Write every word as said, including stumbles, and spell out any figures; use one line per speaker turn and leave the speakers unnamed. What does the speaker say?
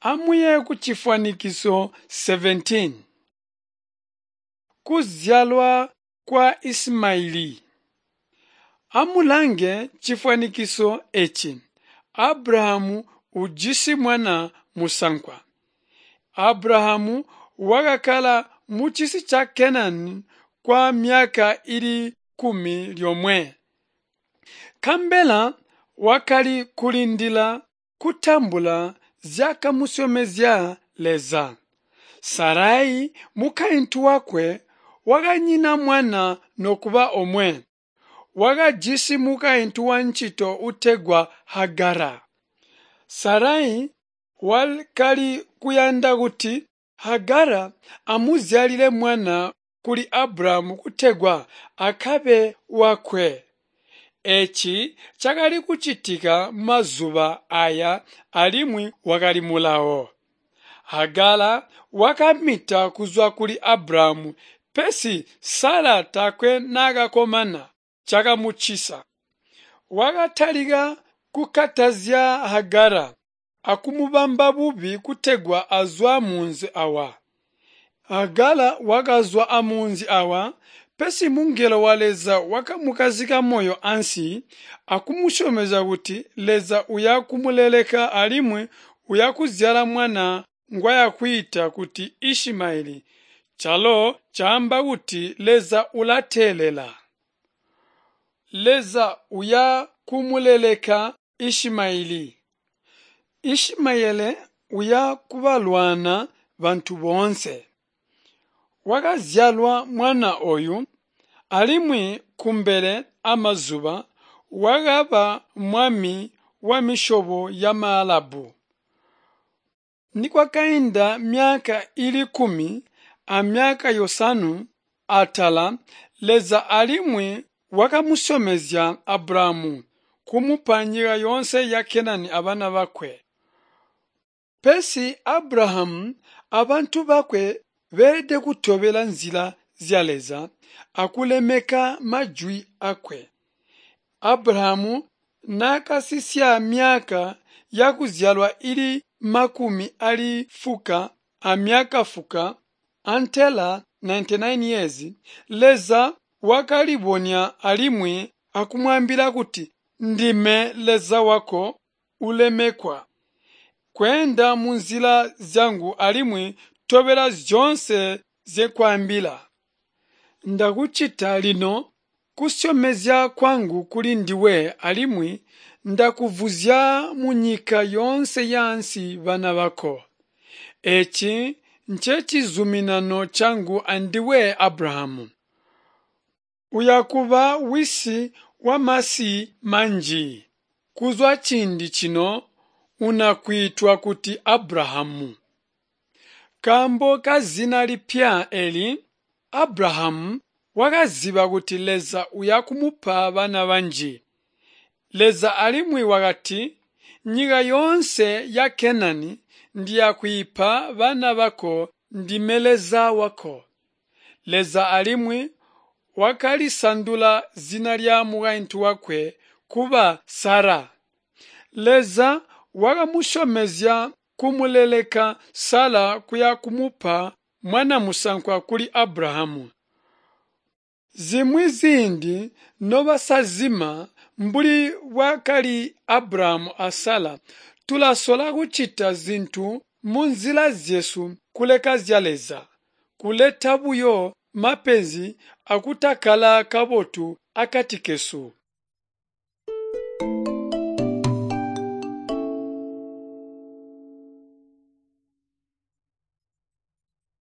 Amuye kucifwanikiso seventeen. Kuzyalwa kwa Isimayeli. Amulange cifwanikiso eci. Abrahamu ujisi mwana musankwa. Abrahamu wakakkala mucisi ca Kenani kwa myaka ili kumi lyomwe. Kambela wakali kulindila kutambula zyakamusyomezya Leza. Sarai mukaintu wakwe wakanyina mwana nokuba omwe. Wakajisi mukaintu wancito utegwa Hagara. Sarai wakali kuyanda kuti Hagara amuzyalile mwana kuli Abrahamu kutegwa akabe wakwe. Eeci cakali kucitika mazuba aya alimwi wakali mulawo. Hagara wakamita kuzwa kuli Abrahamu, pesi Sara taakwe naakakomana, cakamucisa. Wakatalika kukatazya Hagara akumubamba bubi kutegwa azwe amunzi awa. Hagara wakazwa amunzi awa, pesi mungelo wa Leza wakamukazika moyo ansi akumusyomezya kuti Leza uya kumuleleka alimwi uya kuzyala mwana ngwayakwiita kuti Ishimaeli, calo caamba kuti Leza ulateelela. Leza uya kumuleleka Ishimaeli. Ishimaeli uya kubalwana bantu boonse. Wakazyalwa mwana oyu alimwi kumbele amazuba wakaba mwami wa misyobo ya Maalabu. Nikwakainda myaka ili kumi amyaka yosanwe atala, Leza alimwi wakamusyomezya Abrahamu kumupa nyika yoonse ya Kenani abana bakwe. Pesi Abrahamu abantu bakwe beelede kutobela nzila zya Leza akulemeka majwi akwe. Abrahamu naakasisya myaka yakuzyalwa ili makumi ali fuka amyaka fuka antela ninety-nine years, Leza wakalibonya alimwi akumwaambila kuti, Ndime Leza wako ulemekwa. Kweenda munzila zyangu alimwi tobela zyoonse nzyekwaambila. Ndakucita lino kusyomezya kwangu kuli ndiwe alimwi ndakuvuzya munyika yoonse yaansi bana bako. Eeci ncecizuminano cangu andiwe Abrahamu. Uyakuba wisi wamasi manji. Kuzwa ciindi cino unakwiitwa kuti Abrahamu. Kaambo kazina lipya eli, Abrahamu wakaziba kuti Leza uya kumupa bana banji. Leza alimwi wakati, nyika yoonse ya Kenani ndiyakwiipa bana bako, ndime Leza wako. Leza alimwi wakalisandula zina lya mukaintu wakwe kuba Sara. Leza wakamusyomezya kumuleleka Sara kuya kumupa mwana musankwa kuli Abrahamu. Zimwi ziindi nobasazima mbuli bwakali Abrahamu a Sara, tulasola kucita zintu munzila zyesu kuleka zya Leza, kuleta buyo mapenzi akutakkala kabotu akati kesu.